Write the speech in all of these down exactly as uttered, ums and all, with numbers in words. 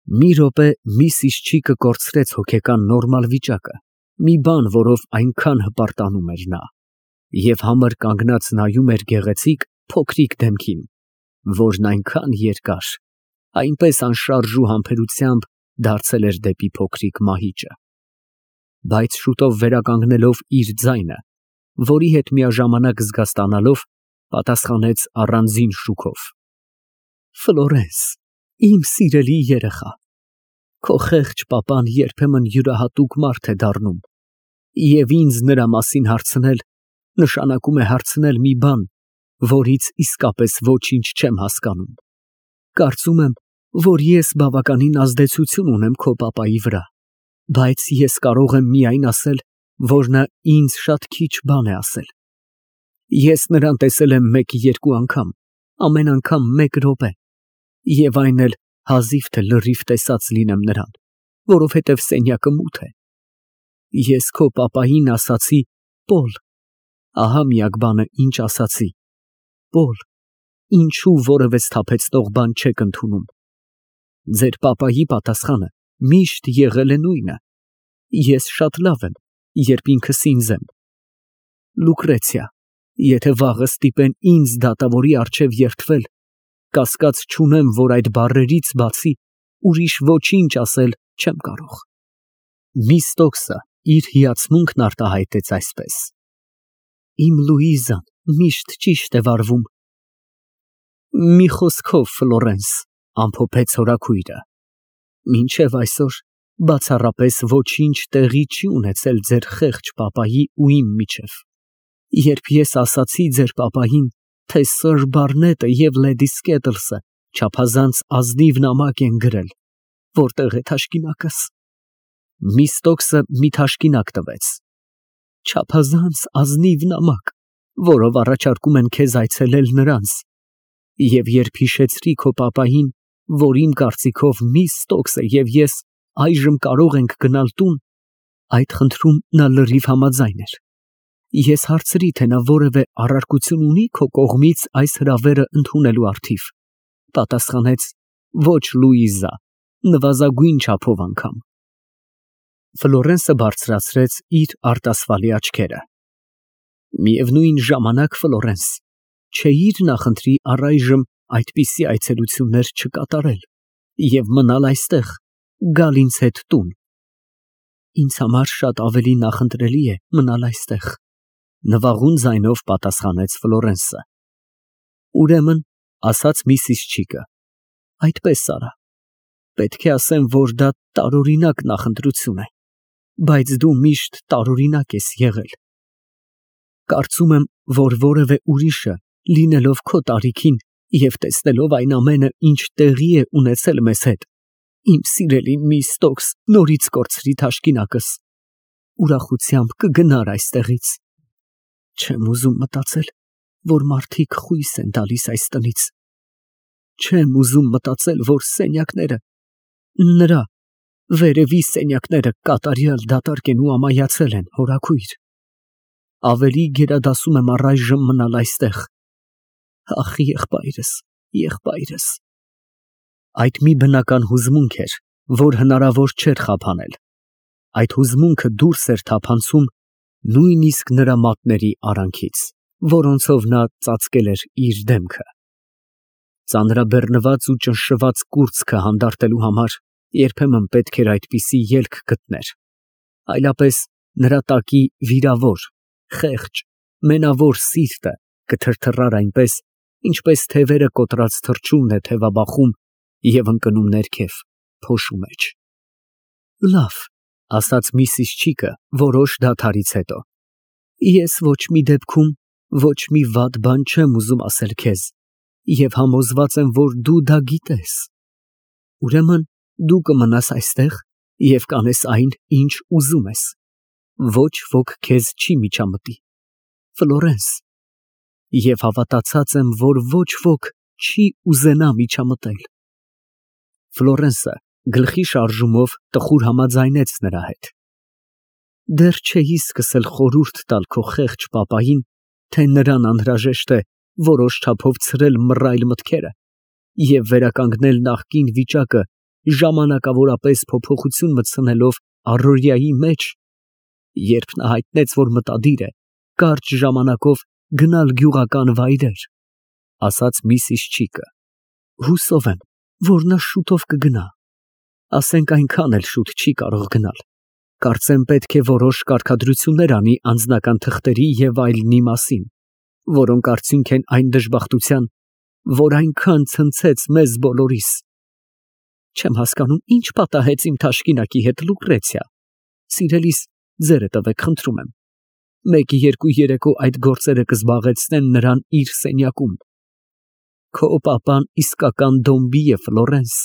Մի րոպե Միսիս Չիկը կորցրեց հոգեկան նորմալ վիճակը, մի բան, որով այնքան հպարտանում էր նա, և համր կանգնած նայում էր գեղեցիկ, փոքրիկ դեմքին, որն այնքան երկար, այնպես անշարժ ու համբերությամբ դարձել էր դեպի փոքրիկ մահիճը, բայց շուտով վերականգնելով իր ձայնը, որի հետ միաժամանակ զգաստանալով, պատասխանեց առանձին շուքով. Ֆլորենս, իմ սիրելի երեխա, քո խեղճ պապան երբեմն յուրահատուկ մարդ է դառնում, և ինձ նրա մասին հարցնել, նշանակում է հարցնել մի բան, որից իսկապես ոչինչ չեմ հասկանում, կարծում եմ, որ ես բավականին ազդեցություն ունեմ քո պապայի վրա, բայց ես կարող եմ միայն ասել, որ նա ինձ շատ քիչ բան է ասել, ես նրան տեսել եմ մեկ-երկու անգամ, ամեն անգամ մեկ րոպե, և այն էլ հազիվ թե լրիվ տեսած լինեմ նրան, որովհետև սենյակը մութ է, ես քո պապային ասացի. Պոլ, ահա միակ բանը, ինչ ասացի, Պոլ, ինչու որևէ սթափեցնող բան չեք ընդունում, ձեր պապայի պատասխանը միշտ եղել է նույնը, ես շատ լավ եմ, երբ ինքս ինձ եմ, Լուկրեցիա, եթե վաղը ստիպեն ինձ դատավորի առջև երդվել, կասկած չունեմ, որ այդ բառերից բացի ուրիշ ոչինչ ասել չեմ կարող։ Միստոկսը իր հիացմունքն արտահայտեց այսպես. Իմ Լուիզան միշտ ճիշտ է վարվում։ Մի խոսքով, Ֆլորենս, ամփոփեց հորաքույրը, մինչև այսօր բացառապես ոչինչ տեղի չի ունեցել ձեր խեղճ պապայի ու իմ միջև, երբ ես ասացի ձեր պապային, թե սըր Բարնետը և լեդի Սկեթլսը չափազանց ազնիվ նամակ են գրել, որտեղ է թաշկինակս։ Միստոկսը մի թաշկինակ տվեց։ Չափազանց ազնիվ նամակ, որով առաջարկում են քեզ այցելել նրանց, և երբ հիշեցրի քո պապային, որ իմ կարծիքով Միստոկսը և ես այժմ կարող ենք գնալ տուն, այդ խնդրում նա լրիվ համաձայն էր։ Ես հարցրի, թե նա որևէ առարկություն ունի քո կողմից այս հրավերը ընդունելու առթիվ, պատասխանեց. ոչ, Լուիզա, նվազագույն չափով անգամ։ Ֆլորենսը բարձրացրեց իր արտասվալի աչքերը։ Միևնույն ժամանակ, Ֆլորենս, չէիր նախընտրի առայժմ այդպիսի այցելություններ չկատարել և մնալ այստեղ, գալ ինձ հետ տուն։ Ինձ համար շատ ավելի նախընտրելի է մնալ այստեղ, նվաղուն ձայնով պատասխանեց Ֆլորենսը։ Ուրեմն, ասաց Միսիս Չիկը, այդպես արա, պետք է ասեմ, որ դա տարօրինակ նախընտրություն է, բայց դու միշտ տարօրինակ ես եղել։ Կարծում եմ, որ որևէ ուրիշը, լինելով քո տարիքին և տեսնելով այն ամենը, ինչ տեղի է ունեցել մեզ հետ, իմ սիրելի Միստոկս, նորից կորցրի թաշկինակս, ուրախությամբ կգնար այստեղից։ Չեմ ուզում մտածել, որ մարդիկ խույս են տալիս այս տնից։ Չեմ ուզում մտածել, որ սենյակները, նրա, վերևի սենյակները կատարյալ դատարկ են ու ամայացել են, հորաքույր։ Ավելի գերադասում եմ առայժմ մնալ այստեղ։ Ախ, եղբայրս, եղբայրս։ Այդ մի բնական հուզմունք էր, որ հնարավոր չէր խափանել։ Այդ հուզմունքը դուրս էր թափանցում նույնիսկ նրա մատների արանքից, որոնցով նա ծածկել էր իր դեմքը։ Ծանրաբեռնված ու ճնշված կուրծքը հանդարտելու համար երբեմն պետք էր այդպիսի ելք գտներ, այլապես նրա տակի վիրավոր, խեղճ, մենավոր սիրտը կթրթռար այնպես, ինչպես թևերը կոտրած թռչունն է թևաբախում և ընկնում ներքև, փոշու մեջ։ Լավ, ասաց Միսիս Չիկը որոշ դադարից հետո, ես ոչ մի դեպքում ոչ մի վատ բան չեմ ուզում ասել քեզ և համոզված եմ, որ դու դա գիտես։ Ուրեմն դու կմնաս այստեղ և կանես այն, ինչ ուզում ես, ոչ ոք քեզ չի միջամտի, Ֆլորենս, և հավատացած եմ, որ ոչ ոք չի ուզենա միջամտել։ Ֆլորենսը գլխի շարժումով տխուր համաձայնեց նրա հետ։ Դեռ չէի սկսել խորհուրդ տալ քո խեղճ պապային, թե նրան անհրաժեշտ է որոշ չափով ցրել մռայլ մտքերը և վերականգնել նախկին վիճակը ժամանակավորապես փոփոխություն մտցնելով առօրյայի մեջ, երբ նա հայտնեց, որ մտադիր է կարճ ժամանակով գնալ գյուղական վայրեր, ասաց միսիս Չիկը, հուսով եմ, որ նա շուտով կգնա, ասենք այնքան էլ շուտ չի կարող գնալ, կարծեմ պետք է որոշ կարգադրություններ անի անձնական թղթերի և այլնի մասին, որոնք արդյունք են այն դժբախտության, որ այնքան ցնցեց մեզ բոլորիս։ Չեմ հասկանում, ինչ պատահեց իմ թաշկինակի հետ, Լուկրեցիա, սիրելիս, ձերը տվեք, խնդրում եմ, մեկ-երկու երեկո այդ գործերը կզբաղեցնեն նրան իր սենյակում։ Քո պապան իսկական դոմբի է, Ֆլորենս,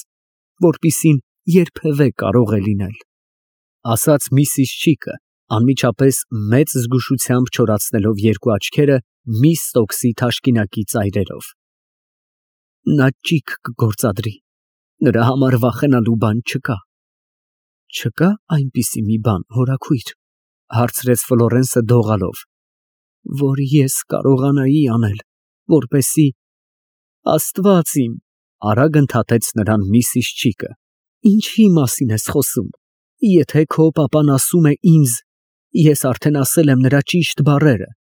որպիսին երբևէ կարող է լինել, ասաց միսիս Չիկը, անմիջապես մեծ զգուշությամբ չորացնելով երկու աչքերը միս Ստոքսի թաշկինակի ծայրերով։ Նա ճիգ կգործադրի, նրա համար վախենալու բան չկա։ Չկա այնպիսի մի բան, հորաքույր, հարցրեց Ֆլորենսը դողալով, որ ես կարողանայի անել, որպեսզի… Աստված իմ, արագ ընդհատեց նրան միսիս Չիկը, ինչի մասին ես խոսում, եթե քո պապան ասում է ինձ, ես արդեն ասել եմ նրա ճիշտ բառերը,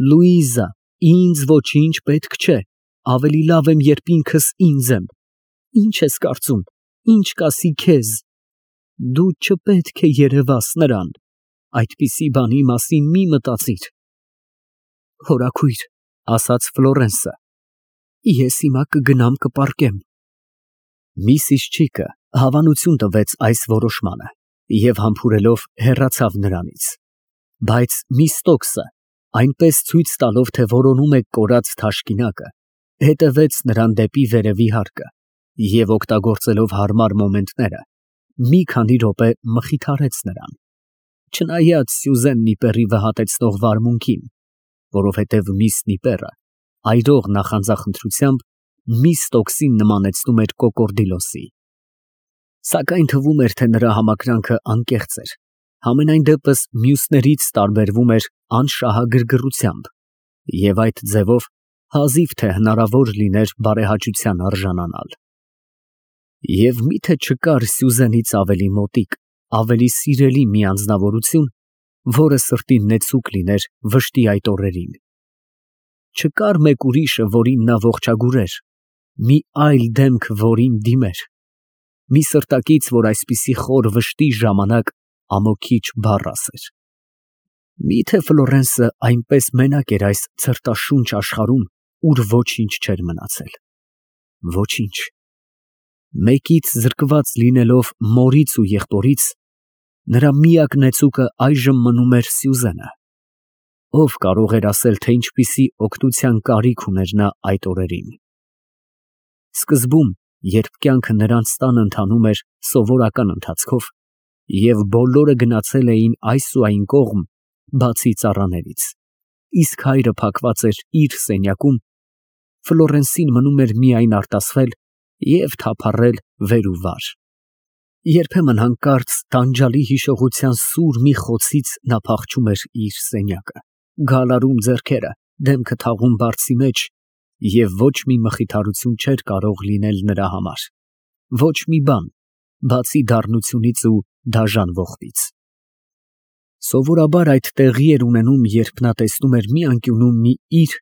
Լուիզա, ինձ ոչինչ պետք չէ, ավելի լավ եմ, երբ ինքս ինձ եմ, ինչ ես կարծում, ինչ կասի քեզ, դու չպետք է երևաս նրան, այդպիսի բանի մասին մի մտածիր։ Հորաքույր, ասաց Ֆլորենսը, ես հիմա կգնամ կպառկեմ։ Միսիս Չիկը հավանություն տվեց այս որոշմանը և համբուրելով հեռացավ նրանից, բայց միս Ստոքսը, այնպես ցույց տալով, թե որոնում է կորած թաշկինակը, հետևեց նրան դեպի վերևի հարկը և օգտագործելով հարմար մոմենտները, մի քանի րոպե մխիթարեց նրան, չնայած Սյուզեն Նիպերի վհատեցնող վարմունքին, որովհետև միս Նիպերը այրող նախանձախնդրությամբ միս Ստոքսին նմանեցնում էր կոկորդիլոսի։ Սակայն թվում էր, թե նրա համակրանքը անկեղծ էր, համենայն դեպս մյուսներից տարբերվում էր անշահագրգռությամբ և այդ ձևով հազիվ թե հնարավոր լիներ բարեհաճության արժանանալ։ Եվ միթե չկար Սյուզենից ավելի մոտիկ, ավելի սիրելի մի անձնավորություն, որը սրտին նեցուկ լիներ վշտի այդ օրերին։ Չկար մեկ ուրիշը, որին նա ողջագուրեր, մի այլ դեմք, որին դիմեր, մի սրտակից, որ այսպիսի խոր վշտի ժամանակ ամոքիչ բառ ասեր։ Միթե Ֆլորենսը այնպես մենակ էր այս ցրտաշունչ աշխարհում, ուր ոչինչ չէր մնացել։ Ոչինչ։ Մեկից զրկված լինելով մորից ու եղբորից, նրա միակ նեցուկը այժմ մնում էր Սյուզենը։ Ով կարող էր ասել, թե ինչպիսի օգնության կարիք ուներ նա այդ օրերին։ Սկզբում, երբ կյանքը նրանց տանը ընթանում էր սովորական ընթացքով, և բոլորը գնացել էին այս ու այն կողմ, բացի ծառաներից, իսկ հայրը փակված էր իր սենյակում, Ֆլորենսին մնում էր միայն արտասվել և թափառել վեր ու վար։ Երբեմն հանկարծ տանջալի հիշողության սուր մի խոցից նա փախչում էր իր սենյակը, գալարում ձեռքերը, դեմքը թաղում բարձի մեջ և ոչ մի մխիթարություն չէր կարող լինել նրա համար, ոչ մի բան, բացի դառնությունից ու դաժան ողբից։ Սովորաբար այդ տեղի էր ունենում, երբ նա տեսնում էր մի անկյունում մի իր,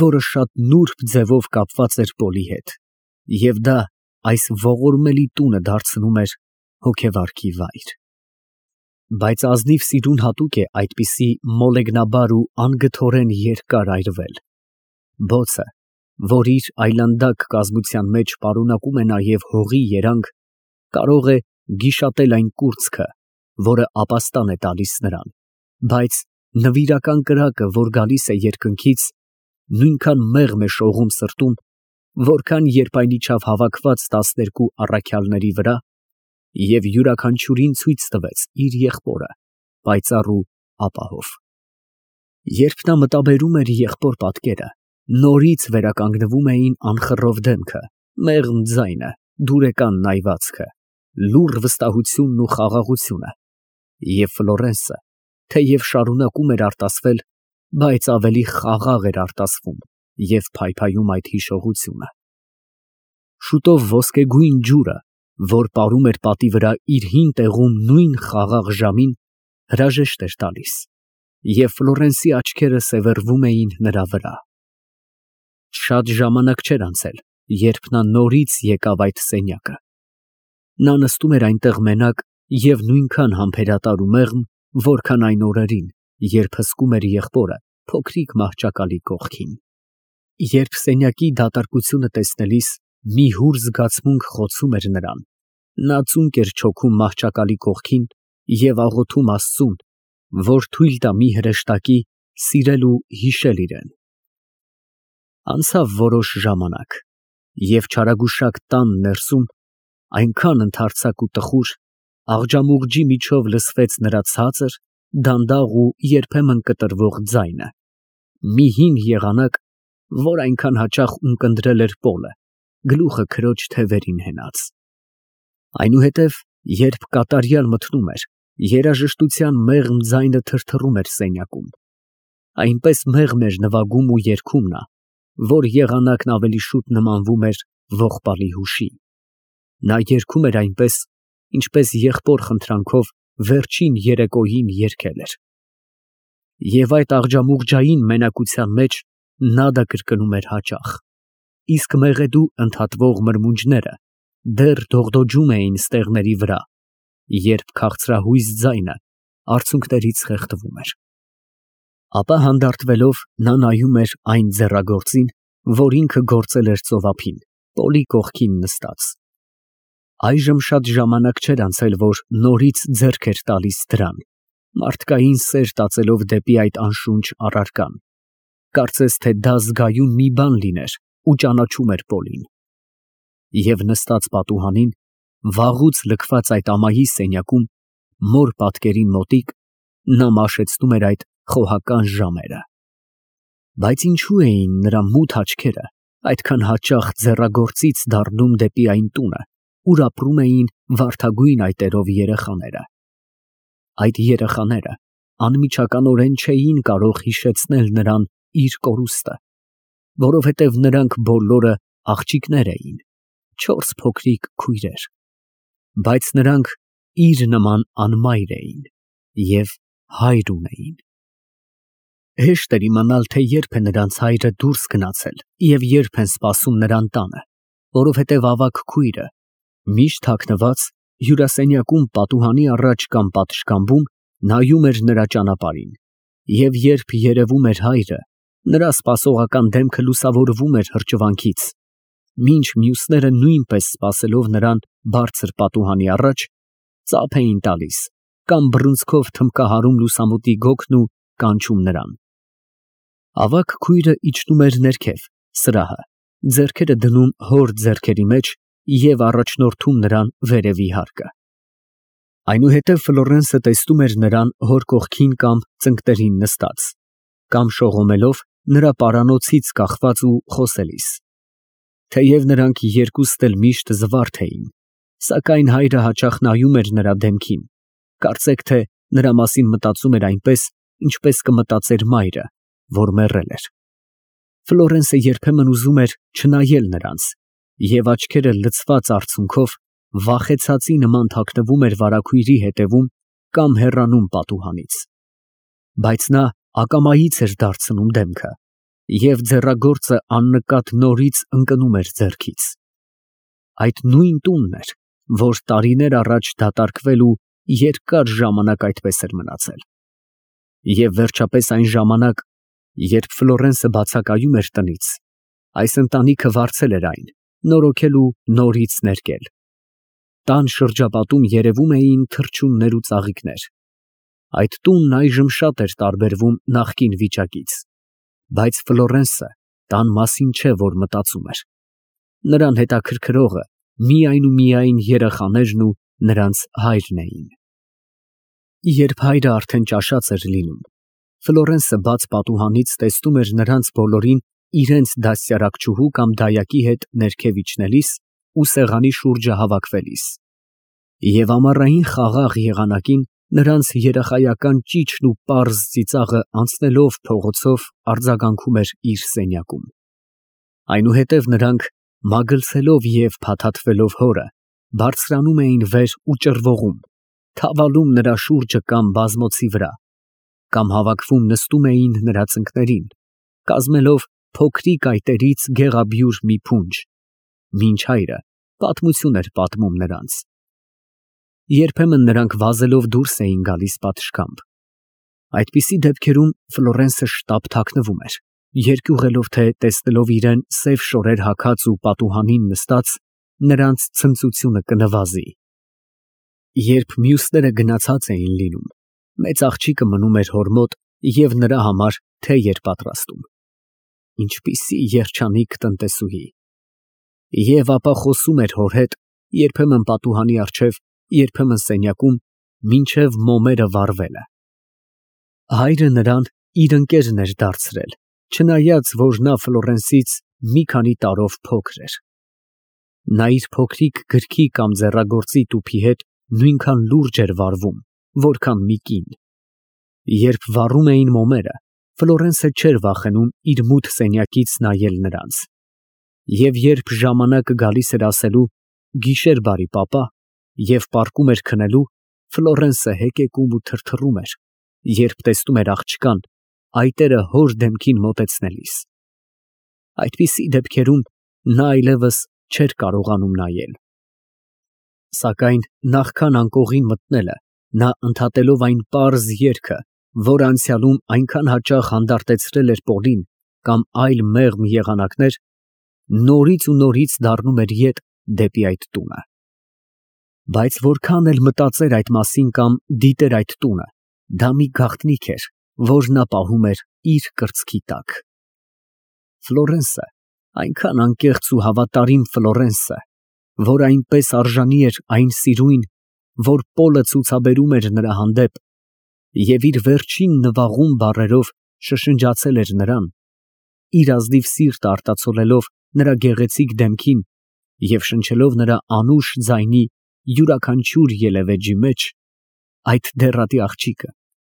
որը շատ նուրբ ձևով կապված էր Պոլի հետ, և դա այս ողորմելի տունը դարձնում էր հոգևարքի վայր։ Բայց ազնիվ սիրուն հատուկ է այդպիսի մոլեգնաբար ու անգթորեն երկար այրվել։ Բոցը, որ իր այլանդակ կազմության մեջ պարունակում է նաև հողի երանգ, կարող է գիշատել այն կուրծքը, որը ապաստան է տալիս նրան, բայց նվիրական կրակը, որ գալիս է երկնքից, նույնքան մեղմ է շողում սրտում, որքան երբ այն իջավ հավաքված տասներկու առաքյալների վրա և յուրաքանչյուրին ցույց տվեց իր եղբորը, պայծառ ու ապահով։ Երբ նա մտաբերում էր եղբոր պատկերը, նորից վերականգնվում էին անխռով դեմքը, մեղմ ձայնը, դուրեկան նայվածքը, լուռ վստահությունն ու խաղաղությունը, և Ֆլորենսը, թեև շարունակում էր արտասվել, բայց ավելի խաղաղ էր արտասվում և փայփայում այդ հիշողությունը։ Շուտով ոսկեգույն ջուրը, որ պարում էր պատի վրա իր հին տեղում նույն խաղաղ ժամին, հրաժեշտ էր տալիս, և Ֆլորենսի աչքերը սևեռվում էին նրա վրա։ Շատ ժամանակ չէր անցել, երբ նա նորից եկավ այդ սենյակը։ Նա նստում էր այնտեղ մենակ և նույնքան համբերատար ու մեղմ, որքան այն օրերին, երբ հսկում էր եղբորը փոքրիկ մահճակալի կողքին։ Երբ սենյակի դատարկությունը տեսնելիս մի հուր զգացմունք խոցում էր նրան, նա ծունկ էր չոքում մահճակալի կողքին և աղոթում Աստծուն, որ թույլ տա մի հրեշտակի սիրել ու հիշել իրեն։ Անցավ որոշ ժամանակ, և չարագուշակ տան ներսում այնքան ընդարձակ ու տխուր աղջամուղջի միջով լսվեց նրա ցածր, դանդաղ ու երբեմն կտրվող ձայնը, մի հին եղանակ, որ այնքան հաճախ ունկնդրել էր Պոլը, գլուխը քրոջ թևերին հենած։ Այնուհետև, երբ կատարյալ մթնում էր, երաժշտության մեղմ ձայնը թրթռում էր սենյակում, այնպես մեղմ էր նվագում ու երգում նա, որ եղանակն ավելի շուտ նմանվում էր ողբալի հուշի։ Նա երգում էր այնպես, ինչպես եղբոր խնդրանքով վերջին երեկոյին երգել էր։ Եվ այդ աղջամուղջային մենակության մեջ նադա կրկնում էր հաճախ, իսկ մեղեդու ընդհատվող մրմունջները դեռ դողդոջում էին ստեղների վրա, երբ քաղցրահույս ձայնը արցունքներից խեղդվում էր։ Ապա հանդարտվելով նա նայում էր այն ձեռագործին, որ ինքը գործել էր ծովափին, Պոլի կողքին նստած։ Այժմ շատ ժամանակ չէր անցել, որ նորից ձեռք էր տալիս դրան, մարդկային սեր տածելով դեպի այդ անշունչ առարկան, կարծես թե դա զգայուն մի բան լիներ ու ճանաչում էր Պոլին։ Եվ նստած պատուհանին, վաղուց լքված այդ ամայի սենյակում, մոր պատկերին մոտիկ, նա մաշեցնում էր այդ խոհական ժամերը։ Բայց ինչու էին նրա մութ աչքերը այդքան հաճախ ձեռագործից դառնում դեպի այն տունը, ուր ապրում էին վարդագույն այտերով երեխաները։ Այդ երեխաները անմիջականորեն չէին կարող հիշեցնել նրան իր կորուստը, որովհետև նրանք բոլորը աղջիկներ էին, չորս փոքրիկ քույրեր, բայց նրանք իր նման անմայր էին և հայր ունեին։ Հեշտ էր իմանալ, թե երբ է նրանց հայրը դուրս գնացել և երբ են սպասում նրան տանը, որովհետև ավագ քույրը, միշտ թաքնված, հյուրասենյակում պատուհանի առաջ կամ պատշգամբում նայում էր նրա ճանապարհին, և երբ երևում էր հայրը, նրա սպասողական դեմքը լուսավորվում էր հրճվանքից, մինչ մյուսները նույնպես սպասելով նրան բարձր պատուհանի առաջ, ծափ էին տալիս կամ բռունցքով թմբկահարում լուսամուտի գոգն ու կանչում նրան։ Ավագ քույրը իջնում էր ներքև, սրահը, ձեռքերը դնում հոր ձեռքերի մեջ և առաջնորդում նրան վերևի հարկը։ Այնուհետև Ֆլորենսը տեսնում էր նրան հոր կողքին կամ ծնկներին նստած, կամ շողոմելով նրա պարանոցից կախված ու խոսելիս։ Թեև նրանք երկուստ էլ միշտ զվարթ էին, սակայն հայրը հաճախ նայում էր նրա դեմքին, կարծեք թե նրա մասին մտածում էր այնպես, ինչպես կմտածեր մայրը, որ մեռել էր։ Ֆլորենսը երբեմն ուզում էր չնայել նրանց, և աչքերը լցված արցունքով վախեցածի նման թաքնվում էր վարագույրի հետևում կամ հեռանում պատուհանից։ Բայց նա ակամայից էր դարձնում դեմքը, և ձեռագործը աննկատ նորից ընկնում էր ձեռքից։ Այդ նույն տունն էր, որ տարիներ առաջ դատարկվել ու երկար ժամանակ այդպես էր մնացել։ Եվ վերջապես այն ժամանակ, երբ Ֆլորենսը բացակայում էր տնից, այս ընտանիքը վարձել էր այն, նորոգել ու նորից ներկել։ Տան շրջապատում երևում էին թռչուններ ու ծաղիկներ։ Այդ տունն այժմ շատ էր տարբերվում նախկին վիճակից, բայց Ֆլորենսը տան մասին չէ, որ մտածում էր։ Նրան հետաքրքրողը միայն ու միայն երեխաներն ու նրանց հայրն էին։ Երբ հայրը արդեն ճաշած էր լինում, Ֆլորենսը բաց պատուհանից տեսնում էր նրանց բոլորին իրենց դաստիարակչուհու կամ դայակի հետ ներքև իջնելիս ու սեղանի շուրջը հավաքվելիս։ Եվ ամառային խաղաղ եղանակին նրանց երեխայական ճիչն ու պարզ ծիծաղը անցնելով փողոցով արձագանքում էր իր սենյակում։ Այնուհետև նրանք, մագլցելով և փաթաթվելով հորը, բարձրանում էին վեր ու ճռվողում, թավալում նրա շուրջը կամ բազմոցի վրա, կամ հավաքվում նստում էին նրա ծնկներին, կազմելով փոքրիկ այտերից գեղաբյուրը մի փունջ, մինչ հայրը պատմություն էր պատմում նրանց։ Երբեմն նրանք վազելով դուրս էին գալիս պատշգամբ։ Այդպիսի դեպքերում Ֆլորենսը շտապ թաքնվում էր, երկյուղելով, թե տեսնելով իրեն սև շորեր հագած ու պատուհանին նստած, նրանց ցնծությունը կնվազի։ Երբ մյուսները գնացած էին լինում, մեծ աղջիկը մնում էր հոր մոտ և նրա համար թեյ էր պատրաստում։ Ինչպիսի երջանիկ տնտեսուհի։ Եվ ապա խոսում էր հոր հետ, երբեմն պատուհանի առջև, երբեմն սենյակում, մինչև մոմերը վառվելը։ Հայրը նրան իր ընկերն էր դարձրել, չնայած որ նա Ֆլորենսից մի քանի տարով փոքր էր։ Նա իր փոքրիկ գրքի կամ ձեռագործի տուփի հետ նույնքան լուրջ էր վարվում, որքան մի կին։ Երբ վառում էին մոմերը, Ֆլորենսը չէր վախենում իր մութ սենյակից նայել նրանց։ Եվ երբ ժամանակը գալիս էր ասելու «Գիշեր բարի, պապա» և պառկում էր քնելու, Ֆլորենսը հեկեկում ու թրթռում էր, երբ տեսնում էր աղջկան, այտերը հոր դեմքին մոտեցնելիս։ Այդպիսի դեպքերում նա այլևս չէր կարողանում նայել։ Սակայն նախքան անկողին մտնելը, նա ընդհատելով այն պարզ երգը, որ անցյալում այնքան հաճախ հանդարտեցրել էր Պոլին կամ այլ մեղմ եղանակներ, նորից ու նորից դառնում էր ետ դեպի այդ տունը։ Բայց որքան էլ մտածեր այդ մասին կամ դիտեր այդ տունը, դա մի գաղտնիք էր, որ նա պահում էր իր կրծքի տակ։ Ֆլորենսը, այնքան անկեղծ ու հավատարիմ Ֆլորենսը, որ այնպես արժանի էր այն սիրույն, որ Պոլը ցուցաբերում էր նրա հանդեպ, և իր վերջին նվաղում բառերով շշնջացել էր նրան, իր ազնիվ սիրտը արտացոլելով նրա գեղեցիկ դեմքին և շնչելով նրա անուշ ձայնի յուրաքանչյուր ելևէջի մեջ, այդ դեռատի աղջիկը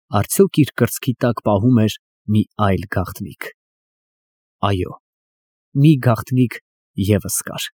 արդյոք իր կրծքի տակ պահում էր մի այլ գաղտնիք։ Այո, մի գաղտնիք ևս կար։